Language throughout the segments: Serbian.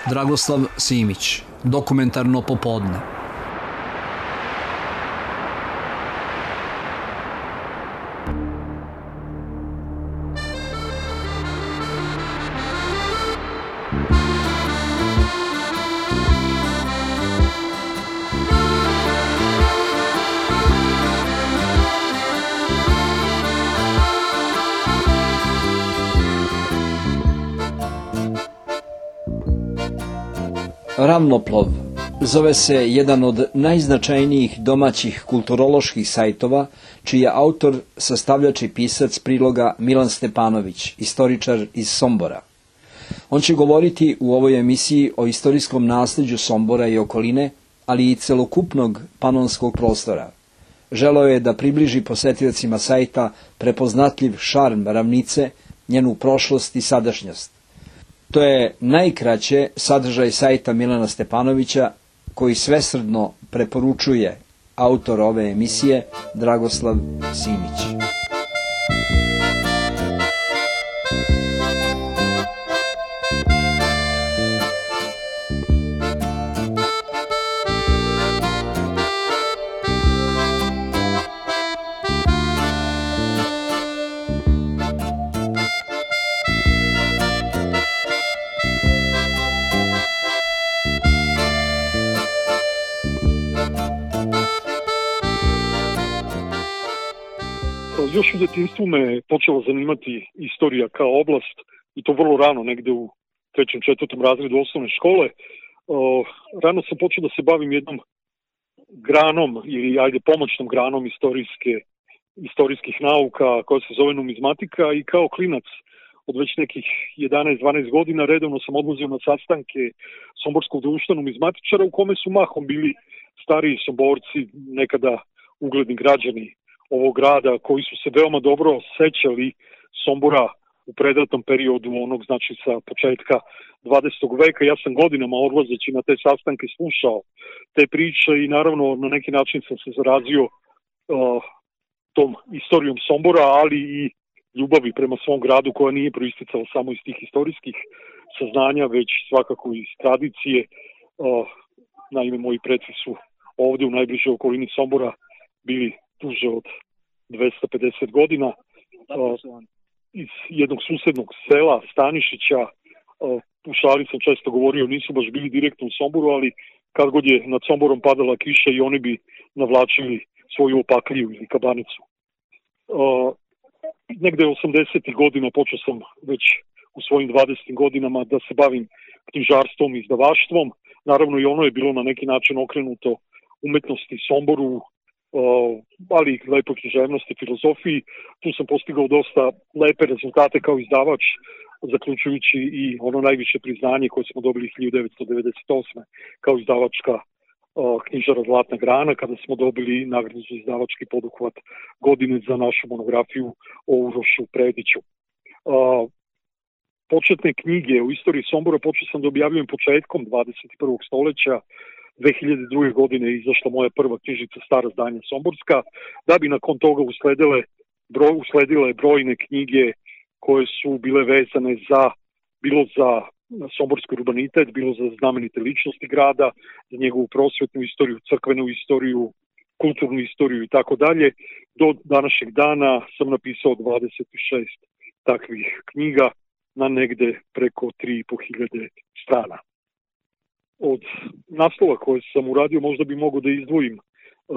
Dragoslav Simić, Dokumentarno popodne. Ravnoplov zove se jedan od najznačajnijih domaćih kulturoloških sajtova, čiji je autor, sastavljač i pisac priloga Milan Stepanović, istoričar iz Sombora. On će govoriti u ovoj emisiji o istorijskom nasleđu Sombora i okoline, ali i celokupnog panonskog prostora. Želeo je da približi posetiocima sajta prepoznatljiv šarm ravnice, njenu prošlost i sadašnjost. To je najkraće sadržaj sajta Milana Stepanovića, koji svesrdno preporučuje autor ove emisije, Dragoslav Simić. Još u djetinjstvu me počela zanimati istorija kao oblast i to vrlo rano, negde u 3. 4. razredu osnovne škole. Rano sam počeo da se bavim jednom granom ili pomoćnom granom istorijskih nauka koja se zove numizmatika i kao klinac od već nekih 11-12 godina redovno sam odlazio na sastanke Somborskog društva numizmatičara u kome su mahom bili stariji Somborci, nekada ugledni građani ovog grada koji su se veoma dobro sećali Sombora u predratnom periodu, onog znači sa početka 20. veka. Ja sam godinama odlazeći na te sastanke slušao te priče i naravno na neki način sam se zarazio tom istorijom Sombora, ali i ljubavi prema svom gradu koja nije proisticala samo iz tih istorijskih saznanja, već svakako iz tradicije. Naime, moji preci su ovde u najbližoj okolini Sombora bili duže od 250 godina, iz jednog susednog sela Stanišića. U šali sam često govorio, nisu baš bili direktno u Somboru, ali kad god je nad Somborom padala kiša i oni bi navlačili svoju opakliju ili kabanicu. Negde 80. godina počeo sam već u svojim 20. godinama da se bavim knjižarstvom i izdavaštvom. Naravno i ono je bilo na neki način okrenuto umetnosti Somboru, ali i lepoj književnosti, filozofiji. Tu sam postigao dosta lepe rezultate kao izdavač, zaključujući i ono najviše priznanje koje smo dobili 1998. kao izdavačka knjižara Zlatna grana, kada smo dobili nagradu za izdavački poduhvat godine za našu monografiju o Urošu Prediću. Početne knjige u istoriji Sombora počeo sam da objavljujem početkom 21. stoljeća. 2002. godine je izašla moja prva knjižica Stara zdanja Somborska, da bi nakon toga usledile brojne knjige koje su bile vezane bilo za somborski urbanitet, bilo za znamenite ličnosti grada, za njegovu prosvetnu istoriju, crkvenu istoriju, kulturnu istoriju i tako dalje. Do današnjeg dana sam napisao 26 takvih knjiga na negde preko 3.500 strana. Od naslova koje sam uradio možda bi mogao da izdvojim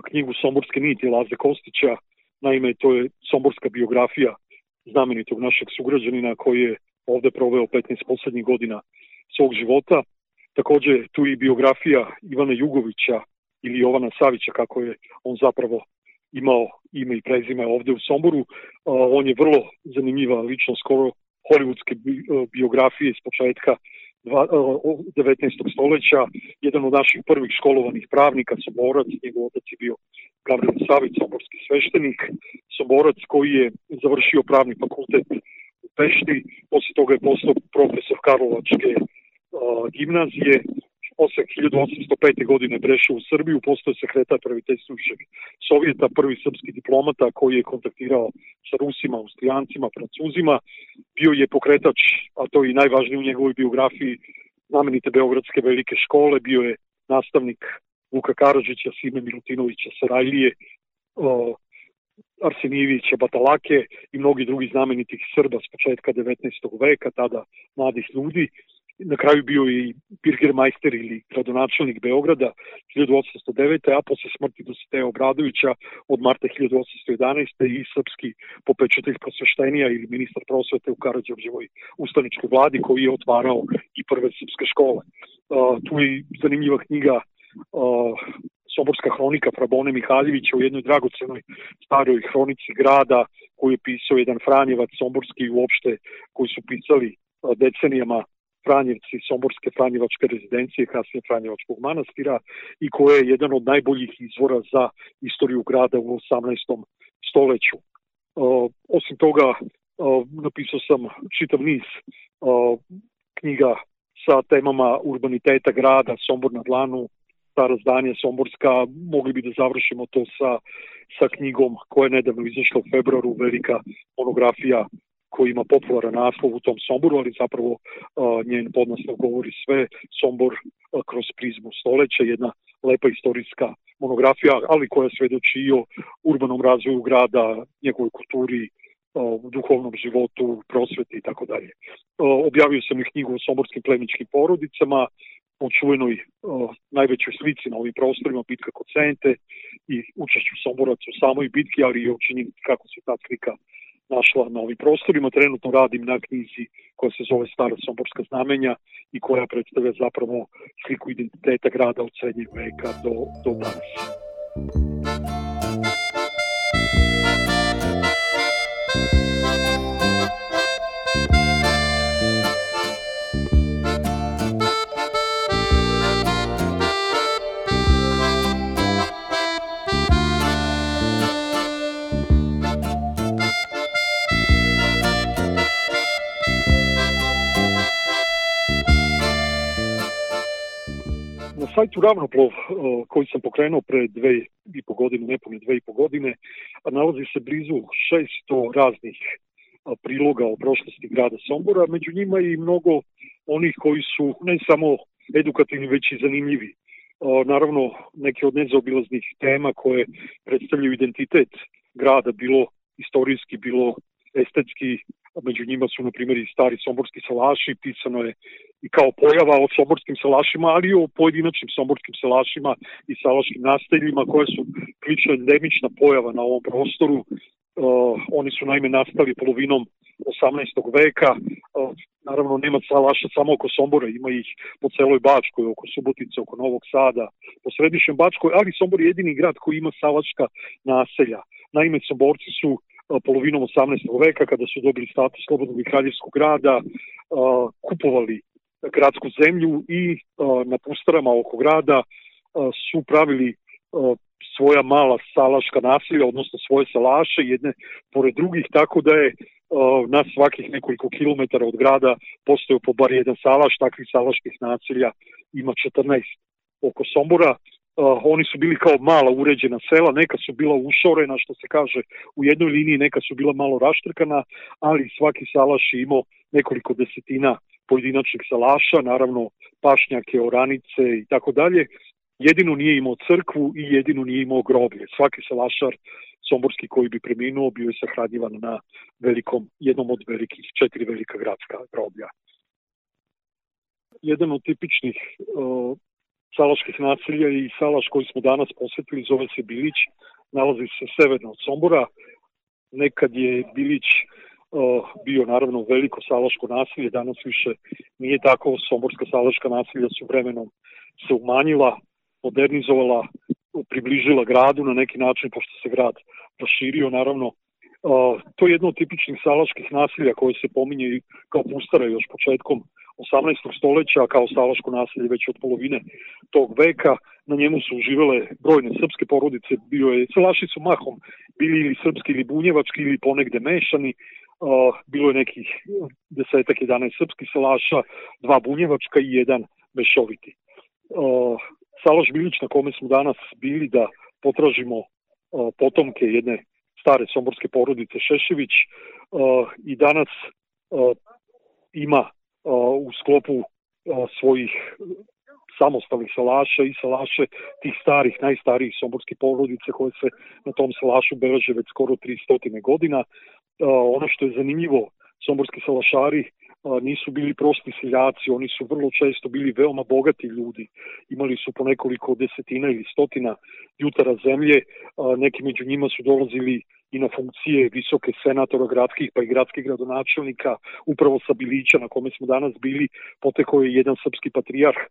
knjigu Somborske niti Laze Kostića. Naime, to je somborska biografija znamenitog našeg sugrađanina koji je ovde proveo 15 poslednjih godina svog života. Takođe, tu i biografija Ivana Jugovića ili Jovana Savića, kako je on zapravo imao ime i prezime ovde u Somboru. On je vrlo zanimljiva ličnost, skoro hollywoodske biografije iz početka 19. stoljeća, jedan od naših prvih školovanih pravnika, Somborac, njegov otac je bio Gavrilo Savić, somborski sveštenik, Somborac koji je završio pravni fakultet u Pešti, posle toga je postao profesor Karlovačke gimnazije, posle 1805. godine prešao u Srbiju, postao sekretar praviteljstvujušeg Sovjeta, prvi srpski diplomata koji je kontaktirao sa Rusima, Austrijancima, Francuzima. Bio je pokretač, a to je i najvažnije u njegovoj biografiji, znamenite Beogradske velike škole, bio je nastavnik Vuka Karadžića, Sime Milutinovića, Sarajlije, Arsenijevića, Batalake i mnogi drugi znamenitih Srba s početka 19. veka, tada mladih ljudi. Na kraju bio i Birgermajster ili gradonačelnik Beograda 1809. a posle smrti Dositeja Obradovića od marta 1811. i srpski popečitelj prosveštenija ili ministar prosvete u Karađorđevoj ustaničkoj vladi koji je otvarao i prve srpske škole. Tu je zanimljiva knjiga Somborska hronika Frabone Mihaljevića u jednoj dragocenoj staroj hronici grada koju je pisao jedan Franjevac somborski uopšte koji su pisali decenijama Franjevci Somborske Franjevačke rezidencije, kasnije Franjevačkog manastira i koja je jedan od najboljih izvora za istoriju grada u 18. stoleću. Osim toga, napisao sam čitav niz knjiga sa temama urbaniteta grada, Sombor na dlanu, stara zdanja Somborska, mogli bi da završimo to sa knjigom koja je nedavno izašla u februaru, velika monografija koji ima popularan naslov u tom Somboru, ali zapravo njen podnaslov govori sve, Sombor kroz prizmu stoleća, jedna lepa istorijska monografija, ali koja svedoči i o urbanom razvoju grada, njegovoj kulturi, duhovnom životu, prosveti i tako dalje. Objavio sam i knjigu o somborskim plemičkim porodicama, o čuvenoj najvećoj slici na ovim prostorima, bitka kod Sente i učešću Somboraca u samoj bitki, ali i o činjenici kako se ta slika našla na ovim prostorima. Trenutno radim na knjizi koja se zove Stara somborska znamenja i koja predstavlja zapravo sliku identiteta grada od srednjeg veka do danas. Na sajtu Ravnoplov, koji sam pokrenuo pre 2,5 godine, nepune 2,5 godine, nalazi se blizu 600 raznih priloga o prošlosti grada Sombora, među njima i mnogo onih koji su ne samo edukativni, već i zanimljivi. Naravno, neke od nezaobilaznih tema koje predstavljaju identitet grada, bilo istorijski, bilo estetski, među njima su, na primjer, i stari somborski salaši, pisano je i kao pojava o somborskim salašima, ali i o pojedinačnim somborskim salašima i salaškim nasteljima, koje su prilično endemična pojava na ovom prostoru. Oni su naime nastali polovinom 18. veka. Naravno, nema salaša samo oko Sombora, ima ih po celoj Bačkoj, oko Subotice, oko Novog Sada, po središnjem Bačkoj, ali Sombor je jedini grad koji ima salaška naselja. Naime, Somborci su polovinom 18. veka, kada su dobili status slobodnog i kraljevskog grada, kupovali gradsku zemlju i na pustarama oko grada su pravili svoja mala salaška naselja, odnosno svoje salaše, jedne pored drugih, tako da je na svakih nekoliko kilometara od grada postojao po bar jedan salaš. Takvih salaških naselja ima 14 oko Sombora. Oni su bili kao mala uređena sela, neka su bila ušorena, što se kaže, u jednoj liniji, neka su bila malo raštrkana, ali svaki salaš je imao nekoliko desetina pojedinačnih salaša, naravno pašnjake, oranice i tako dalje. Jedino nije imao crkvu i jedino nije imao groblje. Svaki salašar somborski koji bi preminuo bio je sahranjivan na jednom od velikih 4 velika gradska groblja. Jedan od tipičnih salaških naselja i salaš koji smo danas posvetili zove se Bilić, nalazi se severno od Sombora. Nekad je Bilić bio naravno veliko salaško naselje, danas više nije tako. Somborska salaška naselja su vremenom se umanjila, modernizovala, približila gradu na neki način, pošto se grad proširio, naravno. To je jedno od tipičnih salaških naselja koje se pominje kao pustara još početkom 18. stoleća, kao salaško naselje već od polovine tog veka. Na njemu su uživale brojne srpske porodice, salaši su mahom bili ili srpski ili bunjevački ili ponegde mešani. Bilo je nekih 10-11 srpskih salaša, 2 bunjevačka i 1 mešoviti. Salaš Bilić na kome smo danas bili da potražimo potomke jedne stare somborske porodice Šešević i danas ima u sklopu svojih samostalnih salaša i salaše tih starih, najstarijih somborskih porodica koje se na tom salašu beleže već skoro 300 godina. Ono što je zanimljivo, somborski salašari nisu bili prosti seljaci, oni su vrlo često bili veoma bogati ljudi. Imali su po nekoliko desetina ili stotina jutara zemlje, neki među njima su dolazili i na funkcije visoke senatora gradskih pa i gradskih gradonačelnika. Upravo sa Bilića na kome smo danas bili potekao je jedan srpski patrijarh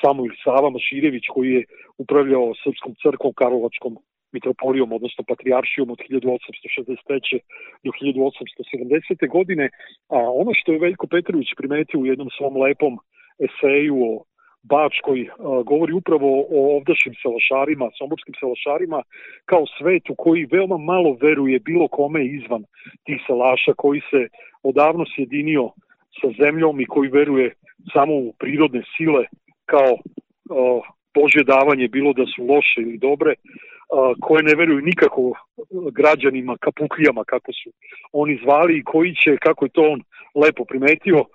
Samuil Sava Maširević koji je upravljao Srpskom crkvom Karlovačkom mitropolijom, odnosno patrijaršijom od 1863. do 1870. godine. A ono što je Veljko Petrović primetio u jednom svom lepom eseju o Bačkoj, govori upravo o ovdašnjim salašarima, somborskim salašarima, kao svetu koji veoma malo veruje bilo kome izvan tih salaša, koji se odavno sjedinio sa zemljom i koji veruje samo u prirodne sile kao Božje davanje, bilo da su loše ili dobre, koje ne veruju nikako građanima, kapuklijama, kako su oni zvali, i koji će, kako je to on lepo primetio,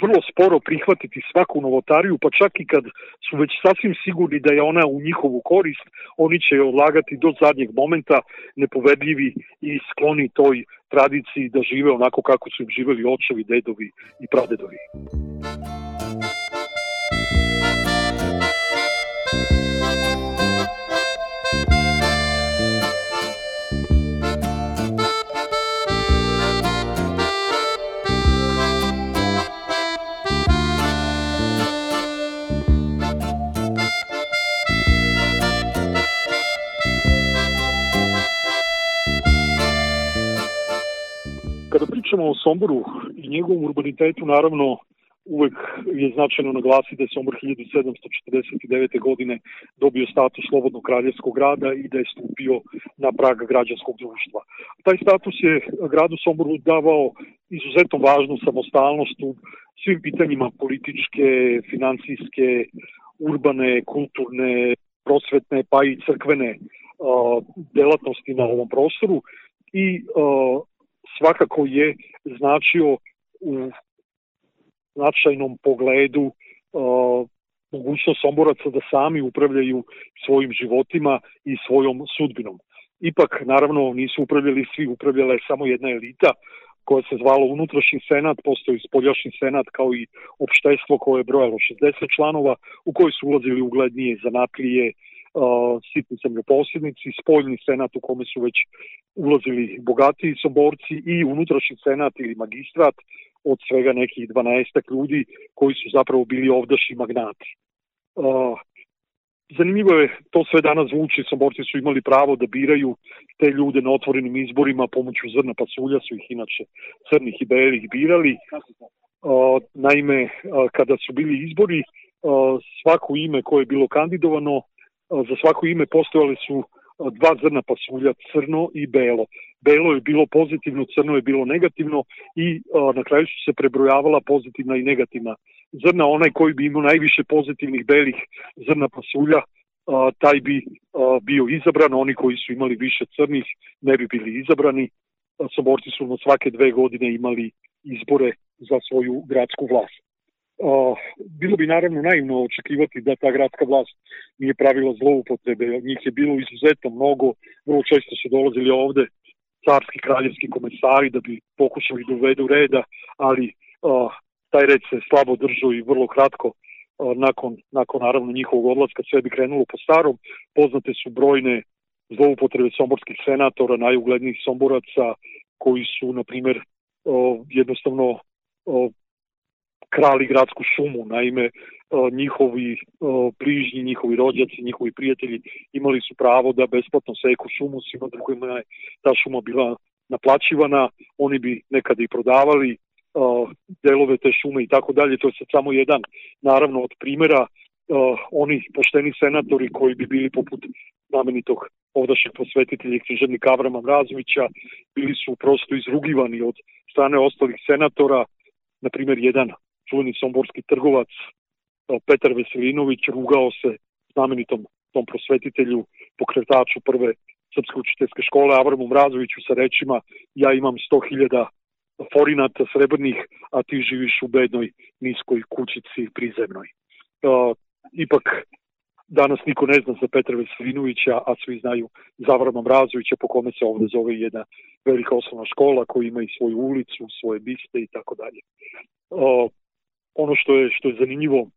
vrlo sporo prihvatiti svaku novotariju, pa čak i kad su već sasvim sigurni da je ona u njihovu korist, oni će je odlagati do zadnjeg momenta, nepovedljivi i skloni toj tradiciji da žive onako kako su im živeli očevi, dedovi i pradedovi. Kada pričamo o Somboru i njegovom urbanitetu, naravno uvek je značajno naglasiti da je Sombor 1749. godine dobio status slobodnog kraljevskog grada i da je stupio na prag građanskog društva. Taj status je gradu Somboru davao izuzetno važnu samostalnost u svim pitanjima političke, financijske, urbane, kulturne, prosvetne pa i crkvene delatnosti na ovom prostoru i svakako je značio u značajnom pogledu mogućnost Somboraca da sami upravljaju svojim životima i svojom sudbinom. Ipak, naravno, nisu upravljali svi, upravljala je samo jedna elita koja se zvala unutrašnji senat, postoji spoljašnji senat kao i opštestvo koje je brojalo 60 članova u koji su ulazili uglednije zanatlije, sitni zemljoposjednici, spoljni senat u kome su već ulazili bogatiji Somborci i unutrašnji senat ili magistrat od svega nekih 12 ljudi koji su zapravo bili ovdašnji magnati. Zanimljivo je, to sve danas zvuči, Somborci su imali pravo da biraju te ljude na otvorenim izborima pomoću zrna pasulja, su ih inače crnih i belih birali. Naime, kada su bili izbori, svako ime koje je bilo kandidovano, za svako ime postojali su dva zrna pasulja, crno i belo. Belo je bilo pozitivno, crno je bilo negativno i na kraju su se prebrojavala pozitivna i negativna zrna. Onaj koji bi imao najviše pozitivnih belih zrna pasulja, taj bi bio izabran, oni koji su imali više crnih ne bi bili izabrani. Somborci su na svake 2 godine imali izbore za svoju gradsku vlast. Bilo bi naravno naivno očekivati da ta gradska vlast nije pravila zloupotrebe, njih je bilo izuzetno mnogo, vrlo često su dolazili ovde carski kraljevski komesari da bi pokušali da uvedu reda, ali taj red se slabo držao i vrlo kratko nakon naravno njihovog odlaska sve bi krenulo po starom. Poznate su brojne zloupotrebe somborskih senatora, najuglednijih Somboraca koji su, na primjer, jednostavno krali gradsku šumu. Naime, njihovi bližnji, njihovi rođaci, njihovi prijatelji imali su pravo da besplatno seku šumu, svima drugima je ta šuma bila naplaćivana, oni bi nekada i prodavali delove te šume i tako dalje. To je sad samo jedan, naravno, od primjera. Oni pošteni senatori koji bi bili poput znamenitog ovdašnjeg prosvetitelja i književnika Avrama Mrazovića bili su prosto izrugivani od strane ostalih senatora. Na primjer, jedan čuveni somborski trgovac Petar Veselinović rugao se znamenitom tom prosvetitelju, pokretaču prve srpske učiteljske škole Avramu Mrazoviću sa rečima: ja imam 100.000 forinata srebrnih, a ti živiš u bednoj niskoj kućici prizemnoj. Ipak danas niko ne zna za Petra Veselinovića, a svi znaju za Avrama Mrazovića, po kome se ovde zove jedna velika osnovna škola koja ima i svoju ulicu, svoje biste i tako dalje. Ono što je zanimljivo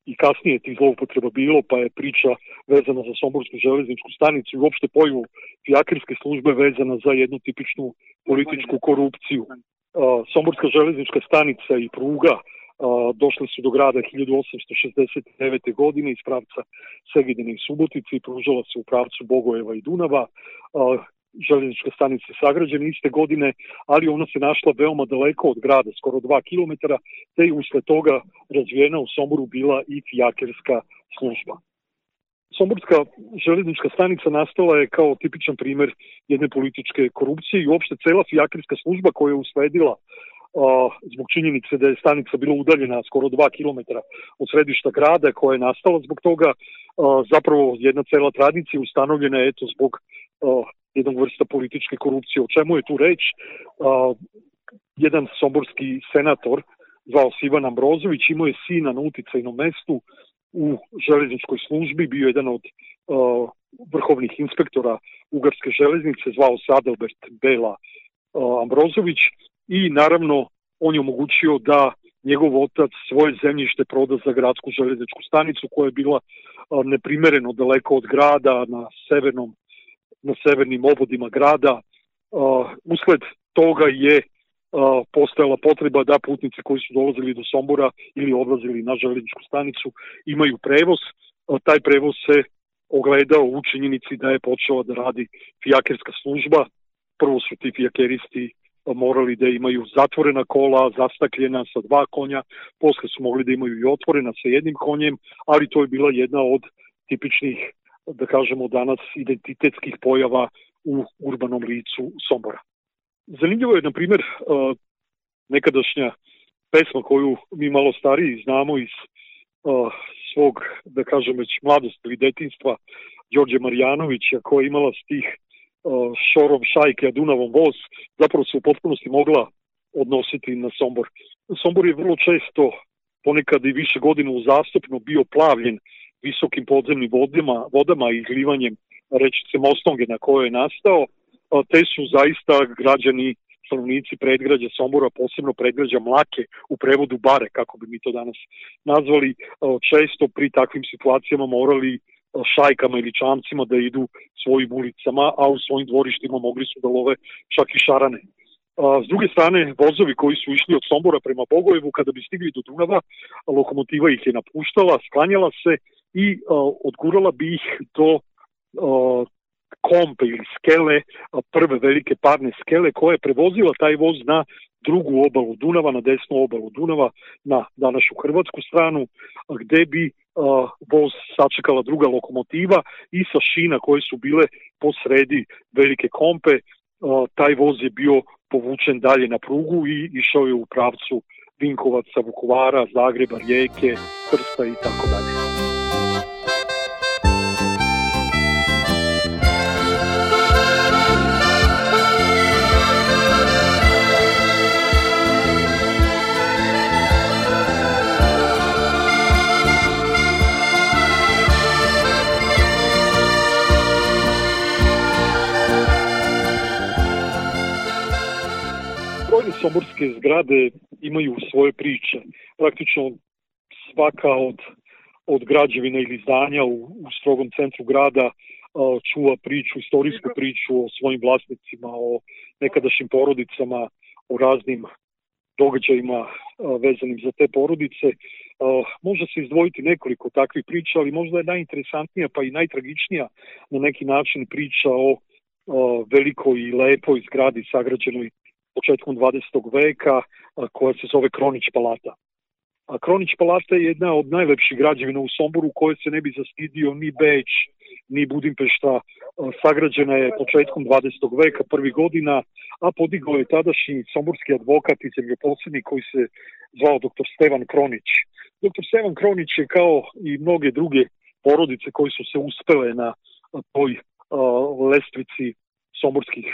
i kasnije tih zloupotreba bilo, pa je priča vezana za Somborsku železničku stanicu i uopšte pojavu fijakerske službe vezana za jednu tipičnu političku korupciju. Somborska železnička stanica i pruga došle su do grada 1869. godine iz pravca Segedina i Subotice i pružala se u pravcu Bogojeva i Dunava. Železnička stanica je sagrađena iste godine, ali ona se našla veoma daleko od grada, skoro 2 km, te je usled toga razvijena u Somboru bila i fijakerska služba. Somborska železnička stanica nastala je kao tipičan primer jedne političke korupcije i uopšte cela fijakerska služba koja je usledila zbog činjenice da je stanica bila udaljena skoro 2 km od središta grada, koja je nastala zbog toga, zapravo jedna cela tradicija ustanovljena je zbog jednog vrsta političke korupcije. O čemu je tu reč? Jedan somborski senator, zvao se Ivan Ambrozović, imao je sina na uticajnom mestu u železničkoj službi, bio jedan od vrhovnih inspektora Ugarske železnice, zvao se Adalbert Bela Ambrozović, i naravno on je omogućio da njegov otac svoje zemljište proda za gradsku železničku stanicu koja je bila neprimereno daleko od grada na severnim obodima grada. Usled toga je postojala potreba da putnici koji su dolazili do Sombora ili odlazili na železničku stanicu imaju prevoz. Taj prevoz se ogledao u činjenici da je počela da radi fijakerska služba. Prvo su ti fijakeristi morali da imaju zatvorena kola, zastakljena sa 2 konja, posle su mogli da imaju i otvorena sa 1 konjem, ali to je bila jedna od tipičnih, da kažemo danas, identitetskih pojava u urbanom licu Sombora. Zanimljivo je, na primjer, nekadašnja pesma koju mi malo stariji znamo iz svog, da kažem, već mladosti ili detinjstva, Đorđe Marjanovića, koja je imala stih šorom šajke, a Dunavom voz, zapravo se u potpunosti mogla odnositi na Sombor. Sombor je vrlo često, ponekad i više godina uzastopno, bio plavljen visokim podzemnim vodama i izlivanjem rečice Mostonge na kojoj je nastao, te su zaista građani, stanovnici predgrađa Sombora, posebno predgrađa Mlake, u prevodu Bare, kako bi mi to danas nazvali, često pri takvim situacijama morali šajkama ili čamcima da idu svojim ulicama, a u svojim dvorištima mogli su da love čak i šarane. S druge strane, vozovi koji su išli od Sombora prema Bogojevu, kada bi stigli do Dunava, lokomotiva ih je napuštala, sklanjala se i odgurala bi ih do kompe ili skele, prve velike parne skele, koja je prevozila taj voz na drugu obalu Dunava, na desnu obalu Dunava, na današnju hrvatsku stranu, gde bi voz sačekala druga lokomotiva i sa šina koje su bile po sredi velike kompe, taj voz je bio povučen dalje na prugu i išao je u pravcu Vinkovaca, Vukovara, Zagreba, Rijeke, Trsta i tako dalje. Somborske zgrade imaju svoje priče. Praktično svaka od građevina ili zdanja u strogom centru grada čuva priču, istorijsku priču o svojim vlasnicima, o nekadašnjim porodicama, o raznim događajima vezanim za te porodice. Može se izdvojiti nekoliko takvih priča, ali možda je najinteresantnija pa i najtragičnija na neki način priča o velikoj i lepoj zgradi sagrađenoj početkom 20. veka, koja se zove Kronić palata. A Kronić palata je jedna od najlepših građevina u Somboru, koje se ne bi zastidio ni Beč, ni Budimpešta. Sagrađena je početkom 20. veka, prvih godina, a podigao je tadašnji somborski advokat i zemljoposednik koji se zvao dr. Stevan Kronić. Dr. Stevan Kronić je, kao i mnoge druge porodice koji su se uspele na toj lestvici somborskih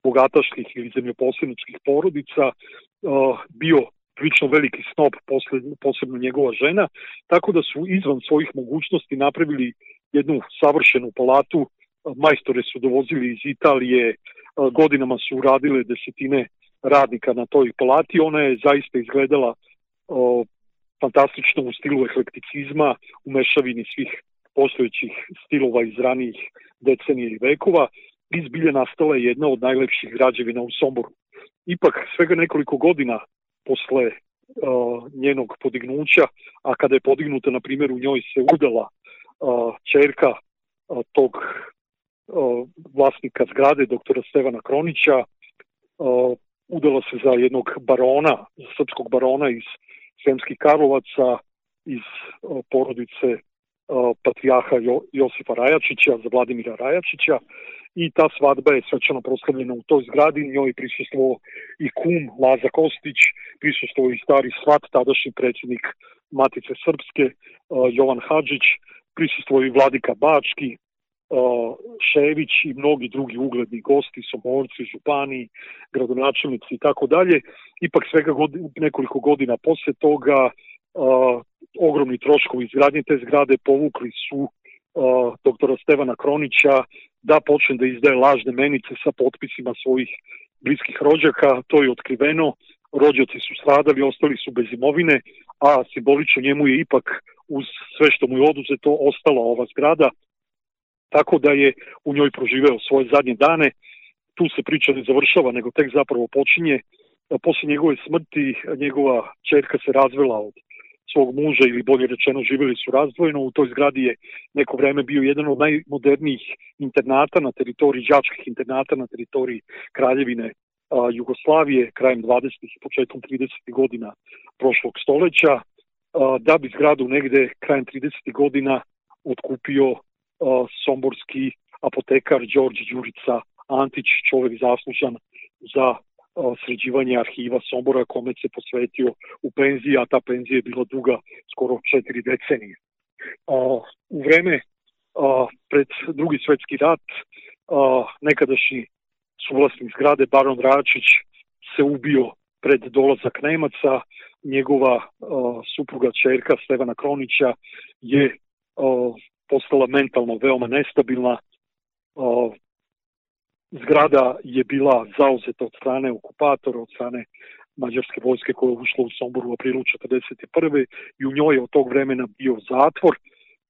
bogataških ili zemljoposjedničkih porodica, bio prilično veliki snob, posebno njegova žena, tako da su izvan svojih mogućnosti napravili jednu savršenu palatu. Majstore su dovozili iz Italije, godinama su radile desetine radnika na toj palati. Ona je zaista izgledala fantastično u stilu eklekticizma, u mešavini svih postojećih stilova iz ranijih decenija i vekova. Izbilje nastala je jedna od najlepših građevina u Somboru. Ipak, svega nekoliko godina posle njenog podignuća, a kada je podignuta, na primjer, u njoj se udala ćerka tog vlasnika zgrade, doktora Stevana Kronića, udala se za jednog barona, srpskog barona iz Sremskih Karlovaca, iz porodice patrijarha Josipa Rajačića, za Vladimira Rajačića, i ta svadba je svečano proslavljena u toj zgradi. Njoj je prisustvovao i kum Laza Kostić, prisustvovao i stari svat, tadašnji predsjednik Matice Srpske, Jovan Hadžić, prisustvovao i vladika Bački, Šević i mnogi drugi ugledni gosti, somorci, župani, gradonačelnici i tako dalje. Ipak svega nekoliko godina posle toga ogromni troškovi izgradnje te zgrade povukli su doktora Stevana Kronića da počne da izdaje lažne menice sa potpisima svojih bliskih rođaka. To je otkriveno, rođaci su stradali, ostali su bez imovine, a simbolično njemu je ipak, uz sve što mu je oduzeto, ostala ova zgrada, tako da je u njoj proživeo svoje zadnje dane. Tu se priča ne završava, nego tek zapravo počinje. Posle njegove smrti njegova ćerka se razvela od svog muža, ili bolje rečeno živjeli su razdvojeno. U toj zgradi je neko vreme bio jedan od najmodernijih internata na teritoriji, đačkih internata na teritoriji Kraljevine Jugoslavije krajem 20. i početkom 30. godina prošlog stoleća, da bi zgradu negde krajem 30. godina otkupio somborski apotekar Đorđe Đurica Antić, čovjek zaslužan za sređivanje arhiva Sombora, kome se posvetio u penziji, a ta penzija je bila duga skoro 4 decenije. U vreme pred Drugi svjetski rat nekadašnji suvlasnik zgrade baron Račić se ubio pred dolazak Nemaca. Njegova supruga ćerka Stevana Kronića je postala mentalno veoma nestabilna. Zgrada je bila zauzeta od strane okupatora, od strane mađarske vojske koja je ušla u Sombor u aprilu 1941. i u njoj je od tog vremena bio zatvor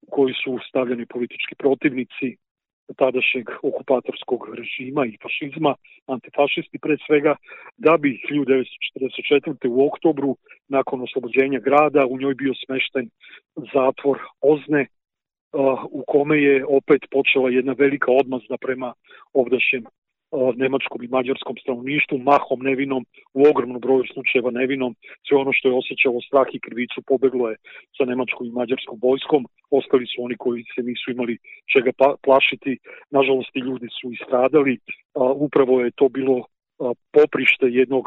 u koji su stavljeni politički protivnici tadašnjeg okupatorskog režima i fašizma, antifašisti pre svega, da bi 1944. u oktobru, nakon oslobođenja grada, u njoj bio smešten zatvor Ozne, u kome je opet počela jedna velika odmazda prema ovdašnjem nemačkom i mađarskom stanovništvu, mahom nevinom, u ogromnom broju slučajeva nevinom. Sve ono što je osjećalo strah i krivicu pobeglo je sa nemačkom i mađarskom vojskom. Ostali su oni koji se nisu imali čega plašiti. Nažalost, ti ljudi su istradali. Upravo je to bilo poprište jednog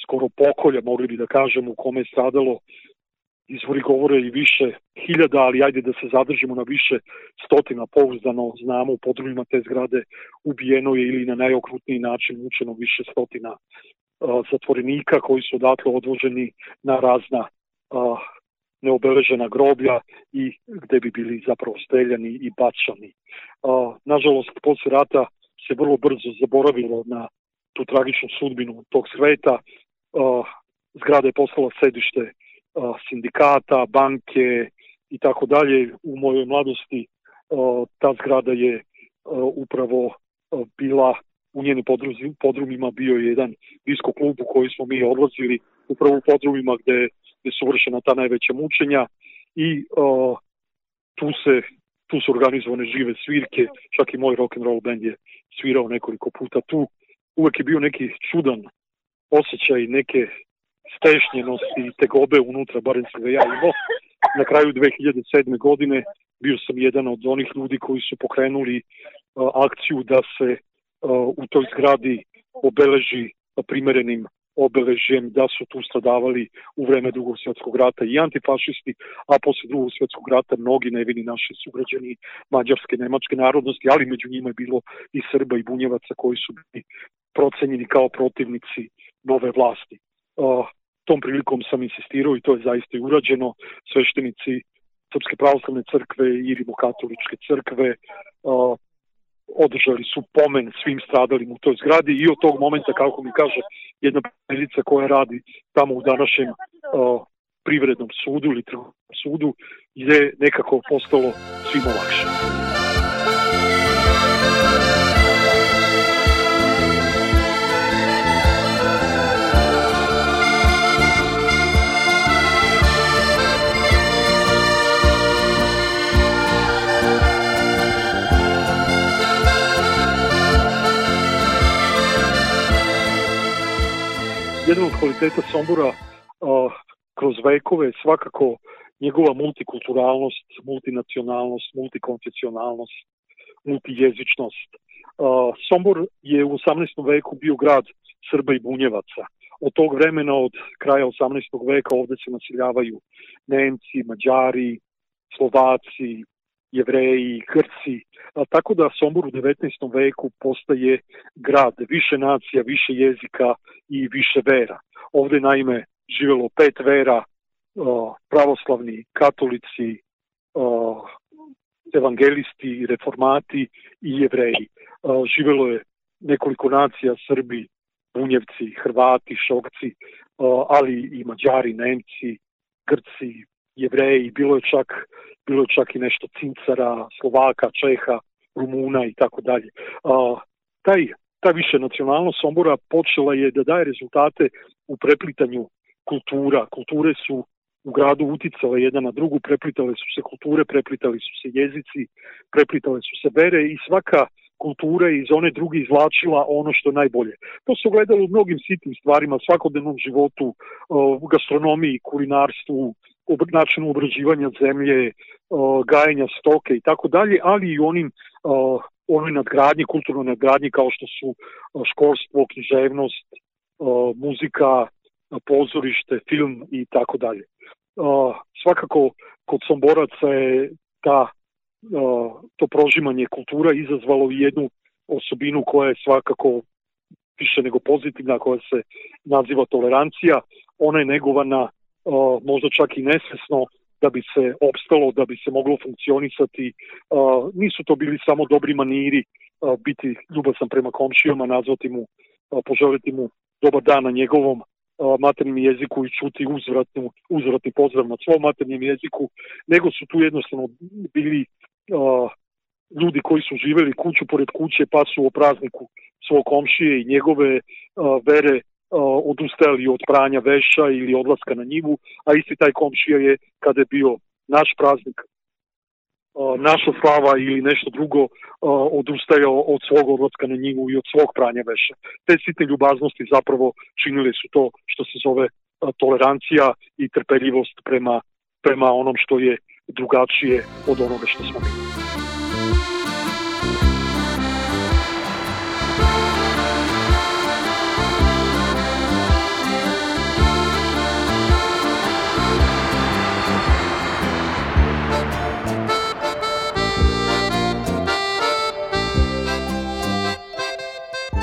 skoro pokolja, mogli bi da kažemo, u kome je stradalo, izvori govore, i više hiljada, ali ajde da se zadržimo na više stotina. Pouzdano znamo, u podrumima te zgrade ubijeno je ili na najokrutniji način mučeno više stotina zatvorenika, koji su odatle odvoženi na razna neobeležena groblja i gde bi bili zapravo streljani i bačani. Nažalost, posle rata se vrlo brzo zaboravilo na tu tragičnu sudbinu tog sveta. Zgrada je postala sedište sindikata, banke i tako dalje. U mojoj mladosti ta zgrada je upravo bila, u njenim podrumima bio je jedan disko klub u koji smo mi odlazili, upravo u podrumima gde su vršena ta najveća mučenja, i tu su organizovane žive svirke, čak i moj rock'n'roll band je svirao nekoliko puta tu. Uvek je bio neki čudan osjećaj, neke stešnjenosti i tegobe unutra, barem sam ga ja imao. Na kraju 2007. godine bio sam jedan od onih ljudi koji su pokrenuli akciju da se u toj zgradi obeleži primerenim obeležjem da su tu stradavali u vreme Drugog svjetskog rata i antifašisti, a posle Drugog svjetskog rata mnogi nevini naši sugrađani mađarske, nemačke narodnosti, ali među njima je bilo i Srba i Bunjevaca koji su bili procenjeni kao protivnici nove vlasti. Tom prilikom sam insistirao i to je zaista i urađeno. Sveštenici Srpske pravoslavne crkve i Rimokatoličke crkve održali su pomen svim stradalim u toj zgradi i od tog momenta, kako mi kaže jedna prijateljica koja radi tamo u današnjem privrednom sudu ili trgovačkom sudu, je nekako postalo svima lakše. Jedan od kvaliteta Sombora kroz vekove svakako njegova multikulturalnost, multinacionalnost, multikonfesionalnost, multijezičnost. Sombor je u 18. veku bio grad Srba i Bunjevaca. Od tog vremena, od kraja 18. veka, ovde se naseljavaju Nemci, Mađari, Slovaci, Jevreji, Grci, tako da Sombor u 19. veku postaje grad više nacija, više jezika i više vera. Ovde naime živelo 5 vera, pravoslavni, katolici, evangelisti, reformati i Jevreji. Živelo je nekoliko nacija, Srbi, Bunjevci, Hrvati, Šokci, ali i Mađari, Nemci, Grci, Jevreji, bilo je čak i nešto Cincara, Slovaka, Čeha, Rumuna i tako dalje. Ta više nacionalnost Sombora počela je da daje rezultate u preplitanju kultura. Kulture su u gradu uticale jedna na drugu, preplitale su se kulture, preplitali su se jezici, preplitale su se vere i svaka kultura je iz one druge izvlačila ono što je najbolje. To se ogledalo u mnogim sitnim stvarima, svakodnevnom životu, u gastronomiji, kulinarstvu, načinu obrađivanja zemlje, gajenja stoke i tako dalje, ali i onoj nadgradnji, kulturnoj nadgradnji kao što su školstvo, književnost, muzika, pozorište, film i tako dalje. Svakako kod Somboraca je to prožimanje kultura izazvalo jednu osobinu koja je svakako više nego pozitivna, koja se naziva tolerancija. Ona je negovana možda čak i nesvesno da bi se opstalo, da bi se moglo funkcionisati. Nisu to bili samo dobri maniri, biti ljubazan prema komšijama, nazvati mu, poželiti mu dobar dan na njegovom maternjem jeziku i čuti uzvratni pozdrav na svom maternjem jeziku, nego su tu jednostavno bili ljudi koji su živeli kuću pored kuće pa su o prazniku svog komšije i njegove vere odustajali od pranja veša ili odlaska na njivu, a isti taj komšija je, kada je bio naš praznik, naša slava ili nešto drugo, odustajao od svog odlaska na njivu i od svog pranja veša. Te sitne ljubaznosti zapravo činile su to što se zove tolerancija i trpeljivost prema onom što je drugačije od onoga što smo mi.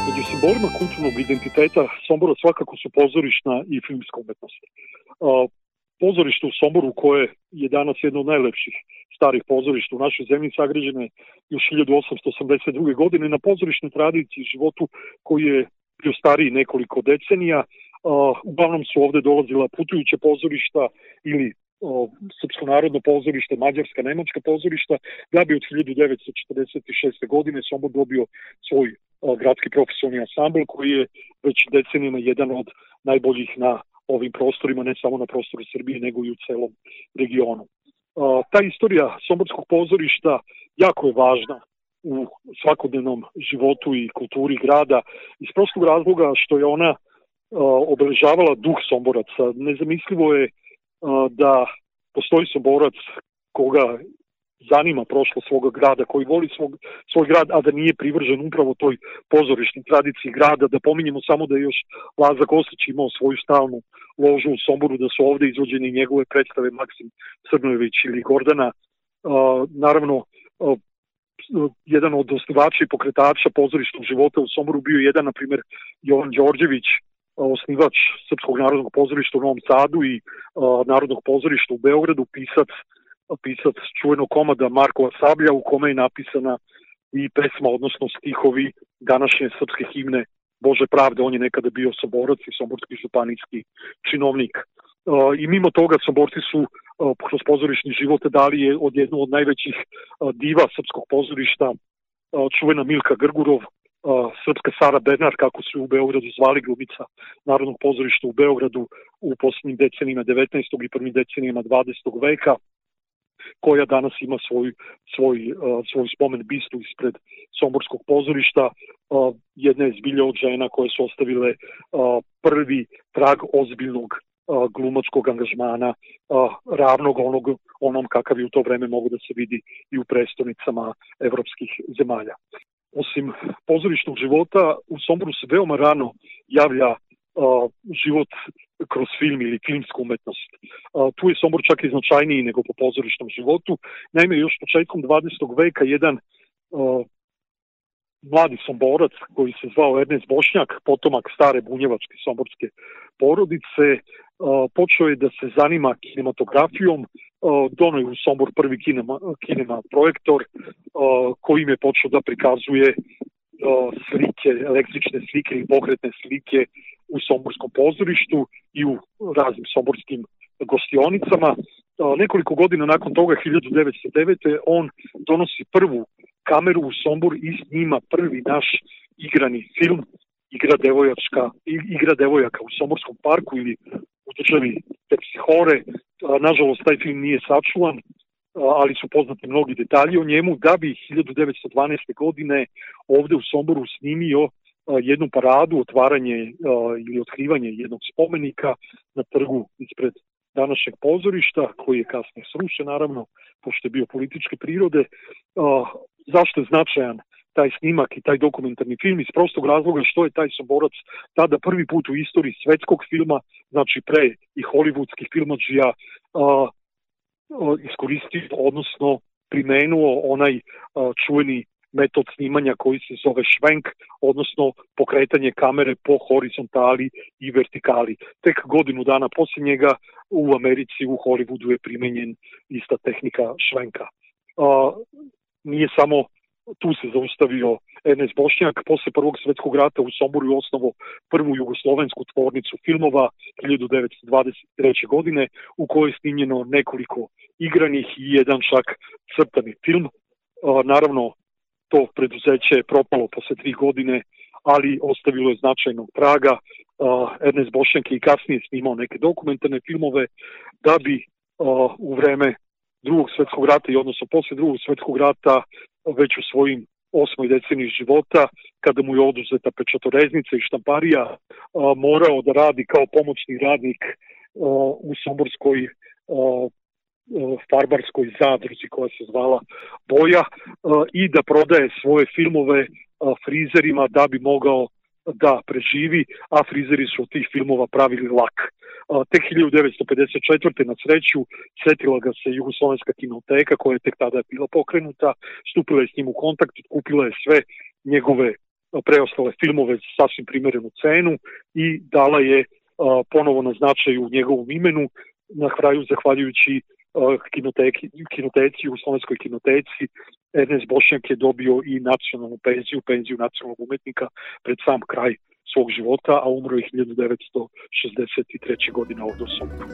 Među simbolima kulturnog identiteta Sombora svakako su pozorišna i filmska umetnost. Pozorište u Somboru, koje je danas jedno od najlepših starih pozorišta u našoj zemlji, sagrađeno je još 1882. godine na pozorišnoj tradiciji i životu koji je bio stariji nekoliko decenija. Uglavnom su ovde dolazila putujuća pozorišta ili Srpsko narodno pozorište, Mađarska, Nemačka pozorišta, da bi od 1946. godine Sombor dobio svoj gradski profesionalni ansambl koji je već decenijama jedan od najboljih na ovim prostorima, ne samo na prostoru Srbije, nego i u celom regionu. Ta istorija somborskog pozorišta jako je važna u svakodnevnom životu i kulturi grada iz prostog razloga što je ona obeležavala duh Somboraca. Nezamislivo je da postoji Somborac koga zanima prošlo svoga grada, koji voli svoj grad, a da nije privržen upravo toj pozorišnoj tradiciji grada. Da pominjemo samo da je još Laza Kostić imao svoju stalnu ložu u Somboru, da su ovde izvođene njegove predstave Maksim Crnojević ili Gordana. Naravno, jedan od osnivača i pokretača pozorišnog života u Somboru bio jedan, na primjer, Jovan Đorđević, osnivač Srpskog narodnog pozorišta u Novom Sadu i Narodnog pozorišta u Beogradu, pisac čuvenog komada Markova Sablja, u kome je napisana i pesma, odnosno stihovi današnje srpske himne Bože pravde. On je nekada bio somborac i somborski županijski činovnik. I mimo toga Somborci su kroz pozorišni život dali je od jednu od najvećih diva srpskog pozorišta, čuvena Milka Grgurov, srpska Sara Bernard, kako su u Beogradu zvali, glumica Narodnog pozorišta u Beogradu u posljednjim decenijima 19. i prvim decenijama 20. veka, koja danas ima svoj spomen bistu ispred Somborskog pozorišta. Jedna je zbilja od žena koje su ostavile prvi trag ozbiljnog glumačkog angažmana, ravnog onom kakav je u to vreme mogu da se vidi i u prestonicama evropskih zemalja. Osim pozorišnog života, u Somboru se veoma rano javlja život kroz film ili filmsku umetnost. Tu je Sombor čak i značajniji nego po pozorišnom životu. Naime, još početkom 20. veka jedan mladi Somborac koji se zvao Ernest Bošnjak, potomak stare bunjevačke somborske porodice, počeo je da se zanima kinematografijom. Dono je u Sombor prvi kinema projektor kojim je počeo da prikazuje slike, električne slike i pokretne slike u somborskom pozorištu i u raznim somborskim gostionicama. Nekoliko godina nakon toga, 1909. on donosi prvu kameru u Sombor i snima prvi naš igrani film Igra devojaka u Somborskom parku ili u državi Terpsihore. Nažalost, taj film nije sačuvan, ali su poznati mnogi detalji o njemu, da bi 1912. godine ovde u Somboru snimio jednu paradu, otvaranje ili otkrivanje jednog spomenika na trgu ispred današnjeg pozorišta, koji je kasnije srušen, naravno, pošto je bio političke prirode. Zašto je značajan taj snimak i taj dokumentarni film? Iz prostog razloga što je taj Somborac tada prvi put u istoriji svetskog filma, znači pre i hollywoodskih filmadžija, iskoristio, odnosno primenuo onaj čuveni metod snimanja koji se zove švenk, odnosno pokretanje kamere po horizontali i vertikali. Tek godinu dana poslije njega u Americi, u Hollywoodu je primenjen ista tehnika švenka. Nije samo tu se zaustavio Ernest Bošnjak. Posle Prvog svjetskog rata u Somboru je osnovao prvu jugoslovensku tvornicu filmova 1923. godine, u kojoj je snimljeno nekoliko igranih i jedan čak crtani film. Naravno, to preduzeće je propalo posle 3 godine, ali ostavilo je značajnog traga. Ernest Bošnjak je i kasnije snimao neke dokumentarne filmove, da bi u vreme Drugog svjetskog rata i odnosno posle Drugog svjetskog rata već u svojim 8. deceniji života, kada mu je oduzeta pečatoreznica i štamparija, morao da radi kao pomoćni radnik u somborskoj farbarskoj zadruzi koja se zvala Boja i da prodaje svoje filmove frizerima da bi mogao da preživi, a frizeri su od tih filmova pravili lak. Tek 1954. na sreću setila ga se Jugoslovenska kinoteka, koja je tek tada bila pokrenuta, stupila je s njim u kontakt, kupila je sve njegove preostale filmove za sasvim primerenu cenu i dala je ponovo na značaju njegovom imenu. Na kraju, zahvaljujući kinoteci, Jugoslovenskoj kinoteci, Ernest Bošnjak je dobio i nacionalnu penziju nacionalnog umetnika pred sam kraj svog života, a umro je 1963. godine ovdje u Somboru.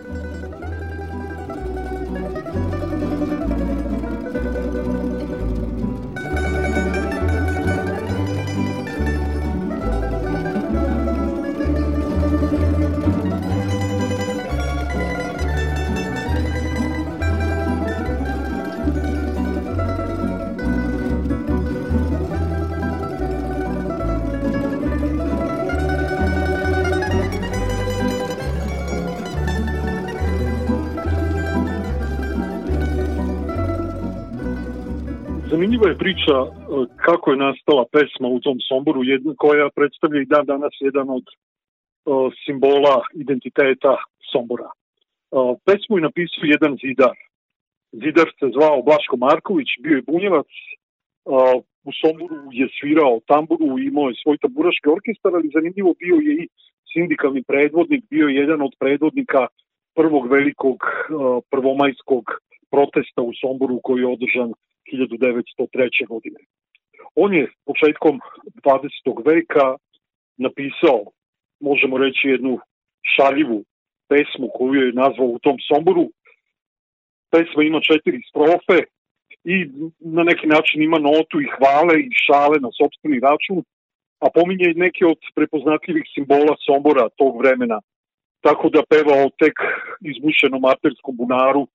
Zanimljiva je priča kako je nastala pesma u tom Somboru, koja predstavlja i dan danas jedan od simbola identiteta Sombora. Pesmu je napisao jedan zidar. Zidar se zvao Blaško Marković, bio je bunjevac U Somboru je svirao tamburu, imao je svoj tamburaški orkestar, ali zanimljivo bio je i sindikalni predvodnik, bio je jedan od predvodnika prvog velikog prvomajskog protesta u Somboru koji je održan 1903. godine. On je početkom 20. veka napisao, možemo reći, jednu šaljivu pesmu koju je nazvao U tom Somboru. Pesma ima 4 strofe i na neki način ima notu i hvale i šale na sopstveni račun, a pominje neke od prepoznatljivih simbola Sombora tog vremena, tako da peva o tek izbušenom arterskom bunaru,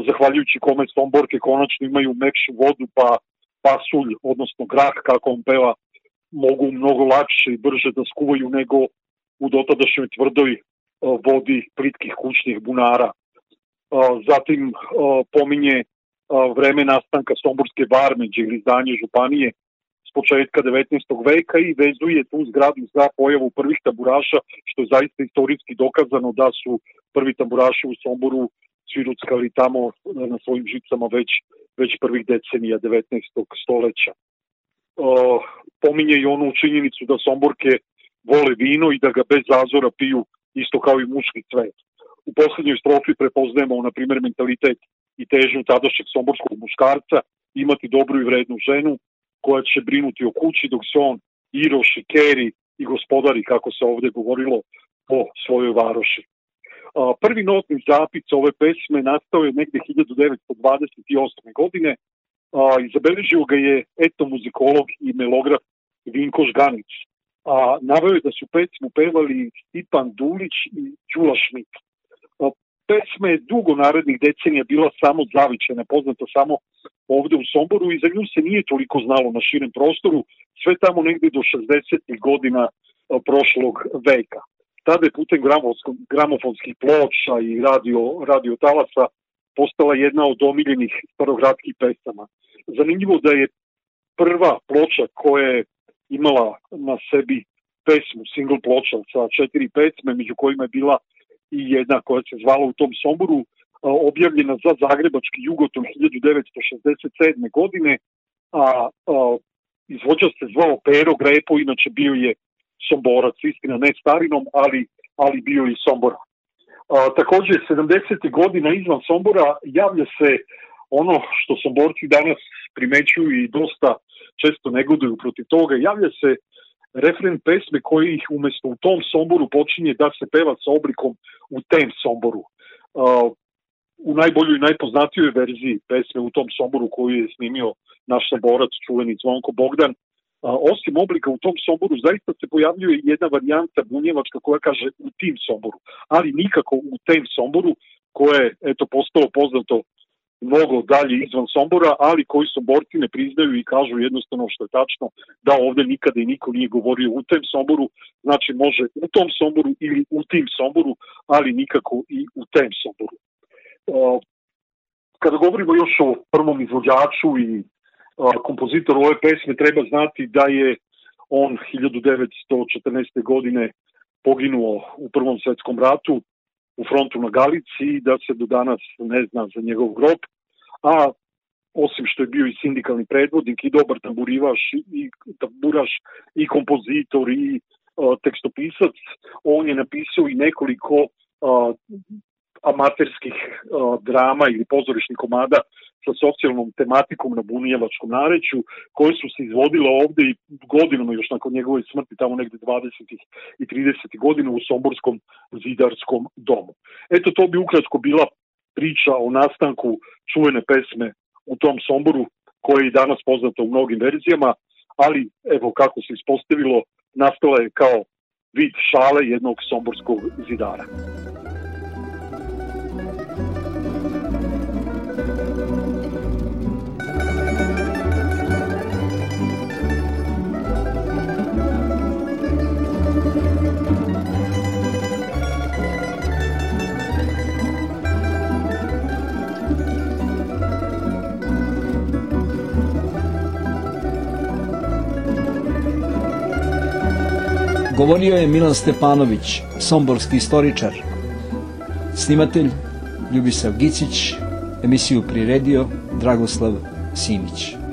zahvaljujući kome Somborke konačno imaju mekšu vodu, pa pasulj, odnosno grah, kako on peva, mogu mnogo lakše i brže da skuvaju nego u dotadašnjoj tvrdoj vodi plitkih kućnih bunara. Zatim pominje vreme nastanka Somborske barmeđe ili izdanje županije s početka 19. veka i vezuje tu zgradu za pojavu prvih tamburaša, što je zaista istorijski dokazano da su prvi tamburaši u Somboru sviruckali tamo na svojim žicama već prvih decenija 19. stoleća. Pominje i onu činjenicu da Somborke vole vino i da ga bez zazora piju isto kao i muški cvet. U poslednjoj strofi prepoznajemo, na primjer, mentalitet i težnju tadašnjeg somborskog muškarca imati dobru i vrednu ženu koja će brinuti o kući dok se on iroši, keri i gospodari, kako se ovde govorilo, po svojoj varoši. Prvi notni zapis ove pesme nastao je negde 1928. godine i zabeležio ga je etnomuzikolog i melograf Vinko Žganić. Naveo je da su pesmu pevali Stipan Dulić i Đula Šmit. Pesma je dugo narednih decenija bila samo zavičajna, poznata samo ovde u Somboru i za nju se nije toliko znalo na širem prostoru, sve tamo negde do 60. godina prošlog veka. Tada je putem gramofonskih ploča i radio talasa postala jedna od omiljenih starogradskih pesama. Zanimljivo da je prva ploča koja je imala na sebi pesmu, single ploča sa 4 pesme, među kojima je bila i jedna koja se zvala U tom Somboru, objavljena za zagrebački Jugoton 1967. godine, a izvođač se zvao Pero Grepo, inače bio je Somborac, istina ne starinom, ali bio i Sombora. Takođe, 70. godina izvan Sombora javlja se ono što Somborci danas primećuju i dosta često negoduju protiv toga, javlja se refren pesme koji ih umesto U tom Somboru počinje da se peva sa oblikom U tem Somboru. U najboljoj i najpoznatijoj verziji pesme U tom Somboru koju je snimio naš Somborac, čuveni Zvonko Bogdan, osim oblika U tom Somboru zaista se pojavljuje jedna varijanta bunjevačka koja kaže U tim Somboru, ali nikako U tem Somboru, koje je postalo poznato mnogo dalje izvan Sombora, ali koji Somborci ne priznaju i kažu jednostavno, što je tačno, da ovde nikada i niko nije govorio U tem Somboru, znači može U tom Somboru ili U tim Somboru, ali nikako i U tem Somboru. Kada govorimo još o prvom izvođaču i kompozitoru ove pesme, treba znati da je on 1914. godine poginuo u Prvom svetskom ratu u frontu na Galici i da se do danas ne zna za njegov grob, a osim što je bio i sindikalni predvodnik i dobar tamburaš i kompozitor i tekstopisac, on je napisao i nekoliko amaterskih drama ili pozorišnih komada sa socijalnom tematikom na bunjevačkom nareću, koje su se izvodile ovde i godinama još nakon njegove smrti, tamo negde 20. i 30. godina u Somborskom zidarskom domu. Eto, to bi ukratko bila priča o nastanku čuvene pesme U tom Somboru, koja je i danas poznata u mnogim verzijama, ali evo kako se ispostavilo, nastala je kao vid šale jednog somborskog zidara. Govorio je Milan Stepanović, somborski istoričar. Snimatelj Ljubisav Gicić, emisiju priredio Dragoslav Simić.